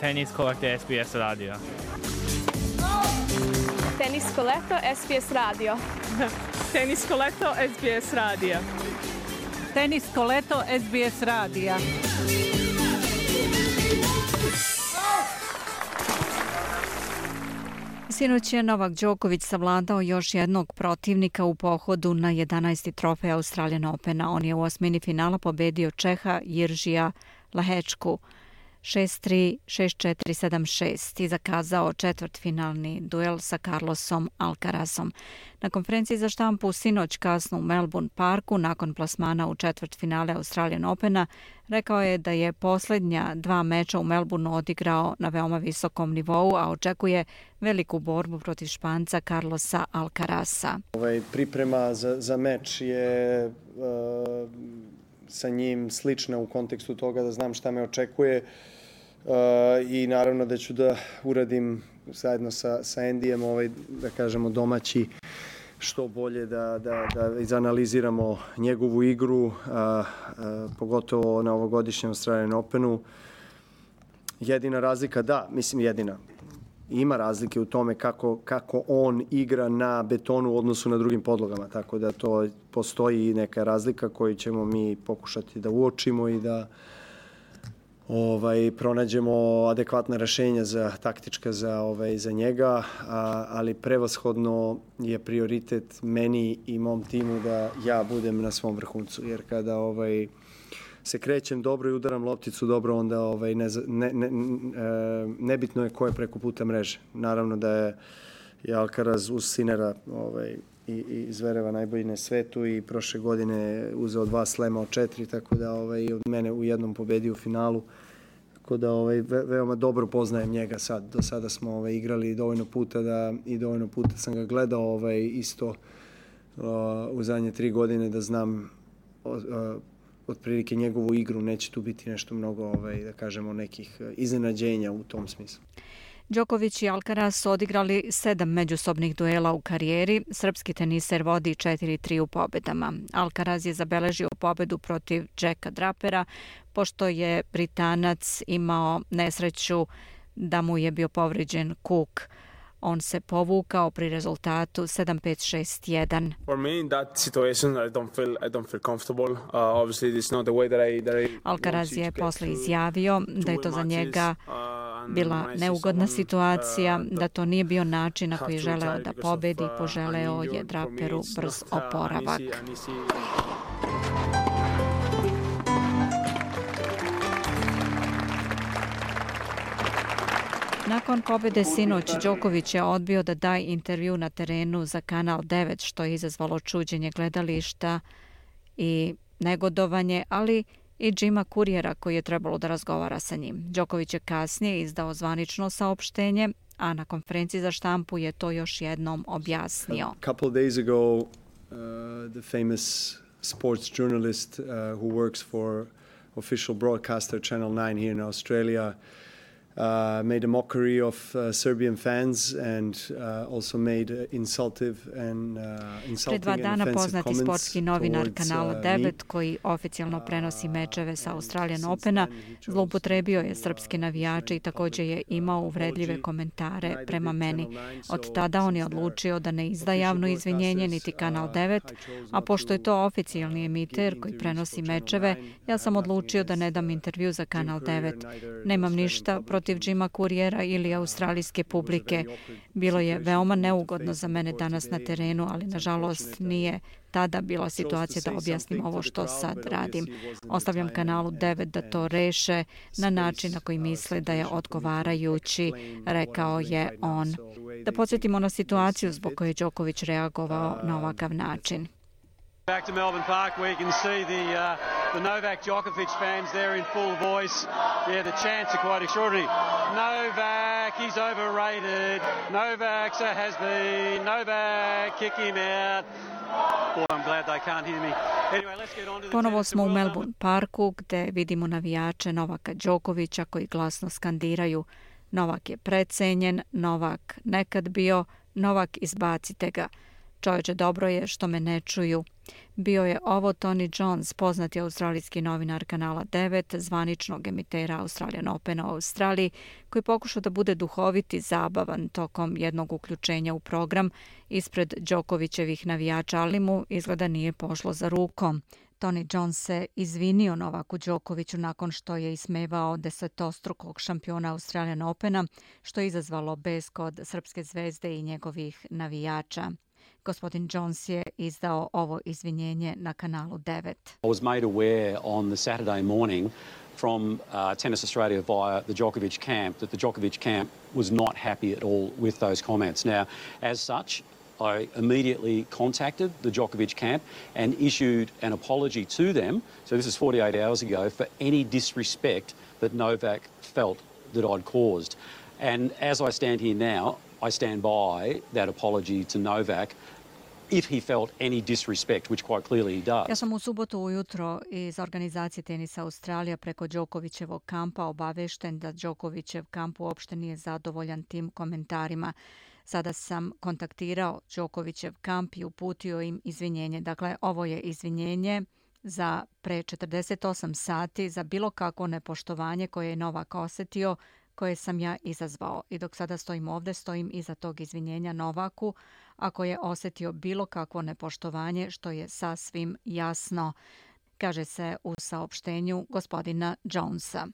Tenis Kolektor SBS radio. Tenis Kolektor SBS radio. Tenis Kolektor SBS radio. Tenis Kolektor SBS radio. Sinoć je Novak Đoković savladao još jednog protivnika u pohodu na 11. trofej Australian Opena. On je u osmini finala pobedio Čeha Jiržija Lahečku 6-3, 6-4, 7-6 i zakazao četvrtfinalni duel sa Carlosom Alcarazom. Na konferenciji za štampu sinoć kasno u Melbourne Parku, nakon plasmana u četvrtfinale Australian Opena, rekao je da je posljednja dva meča u Melbourneu odigrao na veoma visokom nivou, a očekuje veliku borbu protiv Španca Carlosa Alcaraza. Priprema za meč je sa njim slična u kontekstu toga da znam šta me očekuje i naravno da ću da uradim zajedno sa Endijem da kažemo domaći što bolje da izanaliziramo njegovu igru, pogotovo na ovogodišnjem Australian Openu. Jedina razlika, ima razlike u tome kako on igra na betonu u odnosu na drugim podlogama, tako da to postoji neka razlika koju ćemo mi pokušati da uočimo i da pronađemo adekvatna rešenja taktička za njega, ali prevashodno je prioritet meni i mom timu da ja budem na svom vrhuncu, jer kada se krećem dobro i udaram lopticu dobro, onda nebitno je ko je preko puta mreže. Naravno da je Alcaraz uz Sinera i Zvereva najbolji na svetu i prošle godine uzeo 2 slema od 4, tako da od mene u jednom pobedio u finalu. Tako da veoma dobro poznajem njega sad. Do sada smo igrali dovoljno puta i dovoljno puta sam ga gledao isto u zadnje 3 godine da znam otprilike njegovu igru. Neće tu biti nešto mnogo, da kažemo, nekih iznenađenja u tom smislu. Đoković i Alcaraz su odigrali 7 međusobnih duela u karijeri. Srpski teniser vodi 4-3 u pobedama. Alcaraz je zabeležio pobedu protiv Jacka Drapera, pošto je Britanac imao nesreću da mu je bio povrijeđen kuk. On se povukao pri rezultatu 7-5, 6-1. For me in that situation I don't feel comfortable. Obviously this is not the way that I Alcaraz je posle izjavio da je to za njega bila neugodna situacija, da to nije bio način na koji je želeo da pobedi i poželeo je Draperu brz oporavak. Nakon pobede sinoć, Đoković je odbio da da intervju na terenu za Kanal 9, što je izazvalo čuđenje gledališta i negodovanje, ali i Jima Couriera koji je trebalo da razgovara sa njim. Đoković je kasnije izdao zvanično saopštenje, a na konferenciji za štampu je to još jednom objasnio. A couple of days ago, the famous sports journalist who works for official broadcaster Channel 9 here in Australia made a mockery of Serbian fans and also made insulting and Pre 2 dana poznati sportski novinar Kanala 9 me. koji oficijalno prenosi mečeve sa Australian Opena zloupotrebio je srpske navijače i također je imao uvredljive komentare prema meni. Od tada on je odlučio da ne izda javno izvinjenje niti Kanal 9, a pošto je to oficijalni emiter koji prenosi mečeve, ja sam odlučio da ne dam intervju za Kanal 9. Nemam ništa protiv Jima Couriera ili australijske publike. Bilo je veoma neugodno za mene danas na terenu, ali nažalost nije tada bila situacija da objasnim ovo što sad radim. Ostavljam Kanalu 9 da to reše na način na koji misle da je odgovarajući, rekao je on. Da podsjetimo na situaciju zbog koje je Đoković reagovao na ovakav način. Back to Melbourne Park where you can see the Novak Djokovic fans there in full voice. Yeah, the chants are quite extraordinary. Novak, he's overrated. Novak's a has-been. Novak, kick him out. Boy, I'm glad they can't hear me. Anyway, let's get on to the Ponovo smo u Melbourne Parku gde vidimo navijače Novaka Đokovića koji glasno skandiraju: Novak je precenjen, Novak nekad bio, Novak izbacite ga. Čovječe, dobro je što me ne čuju. Bio je ovo Tony Jones, poznati australijski novinar kanala 9, zvaničnog emitera Australian Opena u Australiji, koji pokušao da bude duhovit i zabavan tokom jednog uključenja u program ispred Đokovićevih navijača, ali mu izgleda nije pošlo za rukom. Tony Jones se izvinio Novaku Đokoviću nakon što je ismevao desetostrukog šampiona Australian Opena, što je izazvalo bes kod srpske zvezde i njegovih navijača. Gospodin Jones je izdao ovo izvinjenje na kanalu 9. I was made aware on the Saturday morning from Tennis Australia via the Djokovic camp that the Djokovic camp was not happy at all with those comments. Now, as such, I immediately contacted the Djokovic camp and issued an apology to them, so this is 48 hours ago, for any disrespect that Novak felt that I'd caused. And as I stand here now, I stand by that apology to Novak if he felt any disrespect, which quite clearly he does. Ja sam u subotu ujutro iz organizacije Tenisa Australija preko Đokovićevog kampa obavešten da Đokovićev kamp uopšte nije zadovoljan tim komentarima. Sada sam kontaktirao Đokovićev kamp i uputio im izvinjenje. Dakle, ovo je izvinjenje za pre 48 sati za bilo kakvo nepoštovanje koje je Novak osetio, koje sam ja izazvao. I dok sada stojim ovde, stojim iza tog izvinjenja Novaku ako je osetio bilo kakvo nepoštovanje, što je sasvim jasno, kaže se u saopštenju gospodina Jonesa.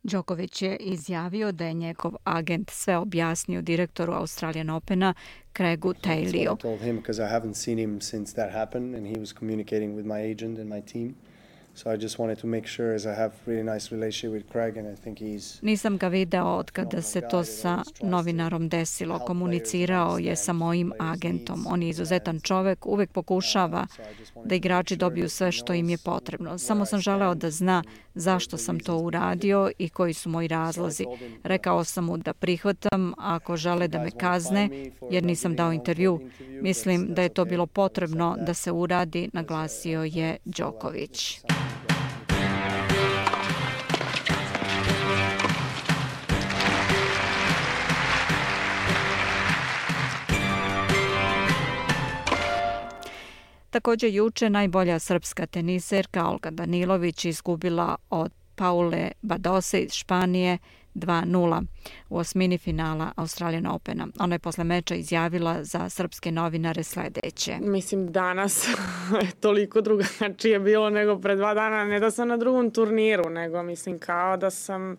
Đoković je izjavio da je njegov agent sve objasnio direktoru Australian Opena Craigu Tayliju. I told him because I haven't seen him since that happened and he was communicating with my agent and my team. So I just wanted to make sure, as I have really nice relationship with Craig and I think he's... Nisam ga video od kada se to sa novinarom desilo. Komunicirao je sa mojim agentom. On je izuzetan čovek, uvek pokušava da igrači dobiju sve što im je potrebno. Samo sam želeo da zna zašto sam to uradio i koji su moji razlozi. Rekao sam mu da prihvatam ako žele da me kazne, jer nisam dao intervju. Mislim da je to bilo potrebno da se uradi, naglasio je Đoković. Također juče najbolja srpska teniserka Olga Danilović izgubila od Paule Badose iz Španije 2-0 u osmini finala Australian Opena. Ona je posle meča izjavila za srpske novinare sledeće. Mislim, danas je toliko drugačije bilo nego pre 2 dana. Ne da sam na drugom turniru, nego mislim kao da sam...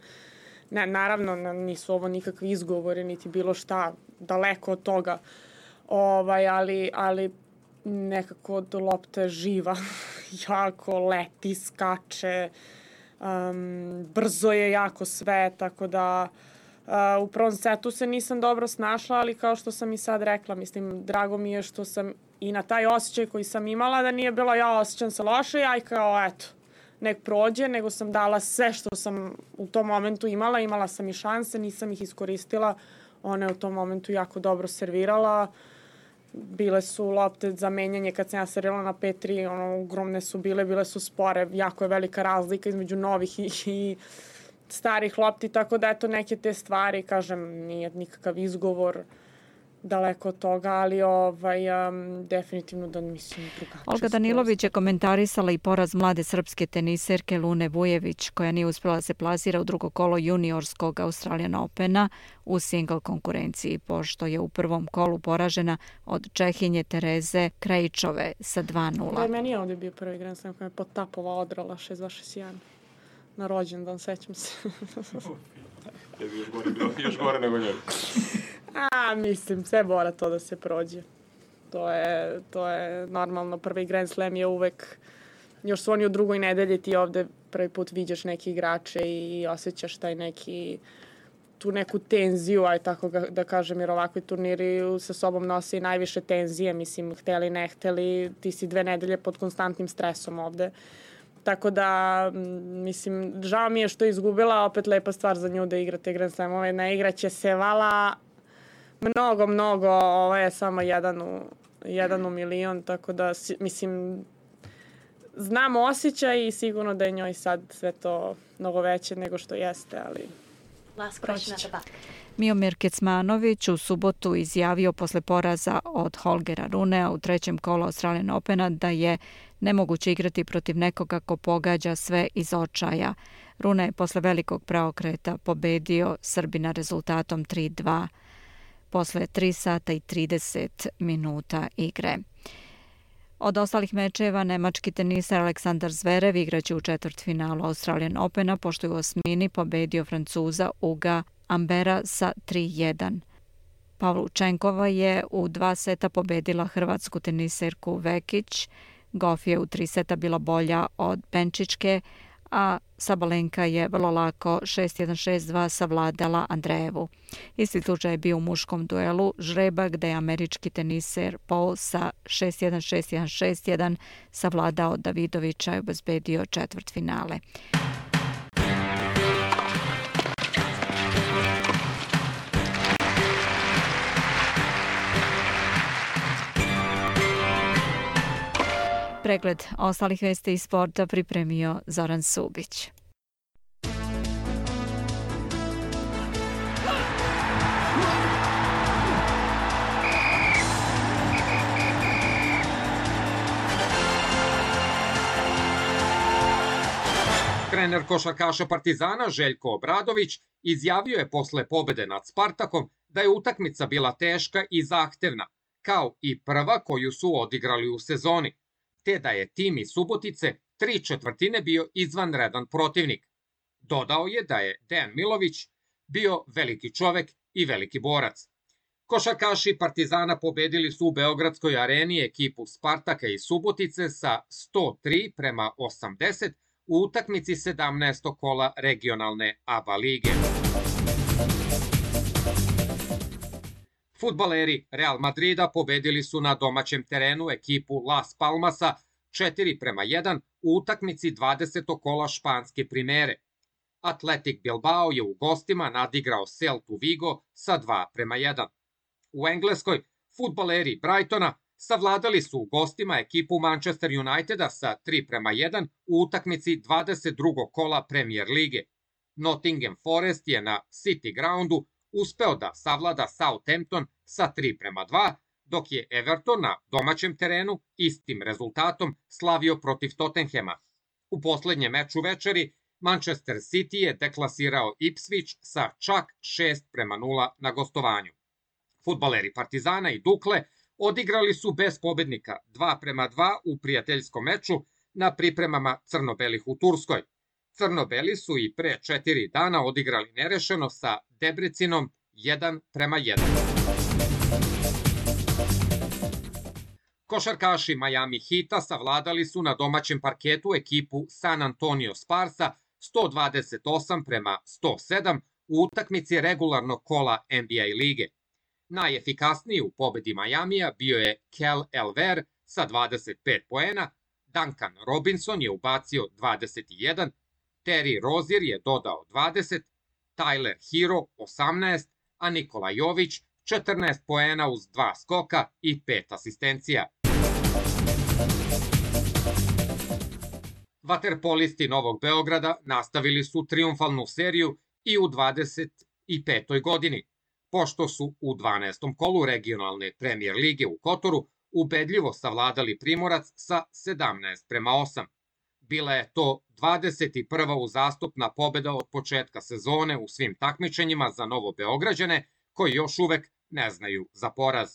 Ne, naravno, nisu ovo nikakvi izgovori, niti bilo šta, daleko od toga. Ali nekako lopta je živa, jako leti, skače, brzo je jako sve, tako da u prvom setu se nisam dobro snašla, ali kao što sam i sad rekla, mislim, drago mi je što sam i na taj osjećaj koji sam imala, da nije bilo ja osjećam se loše, ja i kao eto, nek prođe, nego sam dala sve što sam u tom momentu imala sam i šanse, nisam ih iskoristila, ona je u tom momentu jako dobro servirala, bile su lopte za menjanje kad sam ja servirala na 5-3, ogromne su bile su spore, jako je velika razlika između novih i starih lopti, tako da eto neke te stvari, kažem, nije nikakav izgovor, daleko od toga, ali definitivno da mislim drugačije. Olga Danilović je komentarisala i poraz mlade srpske teniserke Lune Vujević, koja nije uspjela da se plasira u drugo kolo juniorskog Australian Opena u single konkurenciji, pošto je u prvom kolu poražena od Čehinje Tereze Krejčove sa 2-0. Da, meni je ovdje bio prvi Grand Slam koja je potapova odrala 6-2-6-1 na rođendan, sećam se. Je još gore nego njoj. Mislim, sve mora to da se prođe. To je normalno. Prvi Grand Slam je uvek, još su oni u drugoj nedelji, ti ovde prvi put viđaš neke igrače i osjećaš taj tu neku tenziju, aj tako da kažem, jer ovakvi turniri sa sobom nose i najviše tenzije, mislim, hteli, ne hteli, ti si 2 nedelje pod konstantnim stresom ovde. Tako da, mislim, žao mi je što je izgubila, opet lepa stvar za nju da igra te Grand Slamove. Naigraće se vala mnogo, ovo je samo jedan u milion, tako da, mislim, znam osjećaj i sigurno da je njoj sad sve to mnogo veće nego što jeste, ali Miomir Kecmanović u subotu izjavio posle poraza od Holgera Runea u trećem kolu Australian Opena da je nemoguće igrati protiv nekoga ko pogađa sve iz očaja. Rune je posle velikog preokreta pobedio Srbina rezultatom 3-2 posle 3 sata i 30 minuta igre. Od ostalih mečeva nemački teniser Aleksandar Zverev igraće u četvrtfinalu Australian Opena, pošto je u osmini pobedio Francuza Uga Ambera sa 3-1. Pavlučenkova je u 2 seta pobedila hrvatsku teniserku Vekić. Goff je u 3 seta bila bolja od Benčićke, a Sabalenka je vrlo lako 6-1, 6-2 savladala Andrejevu. Isti slučaj je bio u muškom duelu žreba gde je američki teniser Paul sa 6-1, 6-1, 6-1 savladao Davidovića i obezbedio četvrtfinale. Pregled ostalih vesti iz sporta pripremio Zoran Subić. Trener košarkaša Partizana Željko Obradović izjavio je posle pobede nad Spartakom da je utakmica bila teška i zahtevna, kao i prva koju su odigrali u sezoni, te da je tim iz Subotice 3/4 bio izvanredan protivnik. Dodao je da je Dejan Milović bio veliki čovek i veliki borac. Košarkaši Partizana pobedili su u Beogradskoj areni ekipu Spartaka iz Subotice sa 103-80 u utakmici 17. kola regionalne ABA lige. Fudbaleri Real Madrida pobedili su na domaćem terenu ekipu Las Palmasa 4-1 u utakmici 20. kola španske primere. Athletic Bilbao je u gostima nadigrao Celtu Vigo sa 2-1. U Engleskoj fudbaleri Brightona savladali su u gostima ekipu Manchester Uniteda sa 3-1 u utakmici 22. kola Premier lige. Nottingham Forest je na City Groundu uspeo da savlada Southampton sa 3-2, dok je Everton na domaćem terenu istim rezultatom slavio protiv Tottenhema. U poslednjem meču večeri Manchester City je deklasirao Ipswich sa čak 6-0 na gostovanju. Fudbaleri Partizana i Dukle odigrali su bez pobednika 2-2 u prijateljskom meču na pripremama crno-belih u Turskoj. Crno-beli su i pre 4 dana odigrali nerešeno sa Debrecinom 1-1. Košarkaši Miami Heata savladali su na domaćem parketu ekipu San Antonio Sparsa 128-107 u utakmici regularnog kola NBA lige. Najefikasniji u pobedi Majamija bio je Kel Elver sa 25 poena, Duncan Robinson je ubacio 21, Terry Rozier je dodao 20, Tyler Hero 18, a Nikola Jović 14 poena uz 2 skoka i 5 asistencija. Vaterpolisti Novog Beograda nastavili su triumfalnu seriju i u 25. godini, pošto su u 12. kolu regionalne Premier lige u Kotoru ubedljivo savladali Primorac sa 17-8. Bila je to 21. uzastopna pobeda od početka sezone u svim takmičenjima za Novobeograđane, koji još uvek ne znaju za poraz.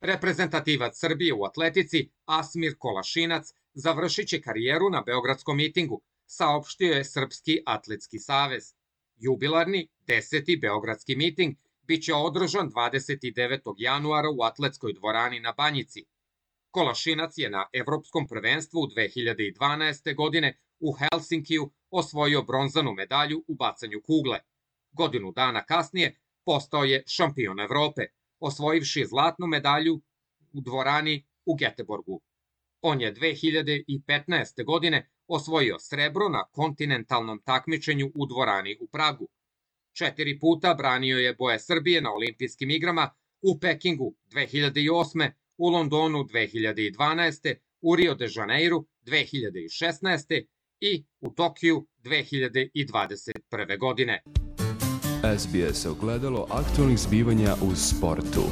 Reprezentativac Srbije u atletici Asmir Kolašinac završit će karijeru na beogradskom mitingu, saopštio je Srpski atletski savez. Jubilarni 10. beogradski miting biće održan 29. januara u atletskoj dvorani na Banjici. Kolašinac je na Evropskom prvenstvu 2012. godine u Helsinkiju osvojio bronzanu medalju u bacanju kugle. Godinu dana kasnije postao je šampion Evrope, osvojivši zlatnu medalju u dvorani u Geteborgu. On je 2015. godine osvojio srebro na kontinentalnom takmičenju u dvorani u Pragu. 4 puta branio je boje Srbije na olimpijskim igrama u Pekingu 2008. u Londonu 2012. u Rio de Janeiru 2016. i u Tokiju 2021. godine. SBS ogledalo aktualnih zbivanja u sportu.